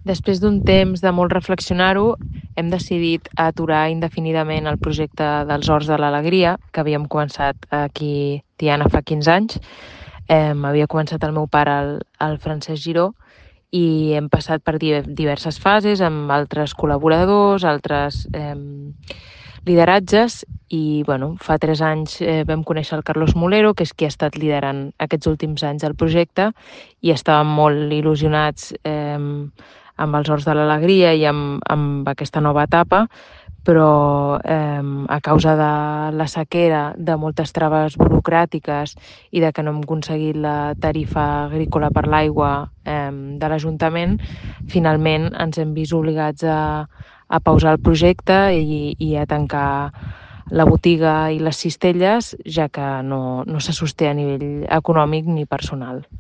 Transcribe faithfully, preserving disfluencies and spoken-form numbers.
Després d'un temps de molt reflexionar-ho, hem decidit aturar indefinidament el projecte dels Horts de l'Alegria, que havíem començat aquí, Tiana, fa quinze anys. Eh, havia començat el meu pare, el, el Francesc Giró, i hem passat per diverses fases amb altres col·laboradors, altres eh, lideratges, i bueno, fa tres anys eh, vam conèixer el Carlos Molero, que és qui ha estat liderant aquests últims anys el projecte, i estàvem molt il·lusionats eh, amb els Horts de l'Alegria i amb, amb aquesta nova etapa, però eh, a causa de la sequera, de moltes traves burocràtiques i de que no hem aconseguit la tarifa agrícola per l'aigua eh, de l'Ajuntament, finalment ens hem vist obligats a, a pausar el projecte i, i a tancar la botiga i les cistelles, ja que no, no se sosté a nivell econòmic ni personal.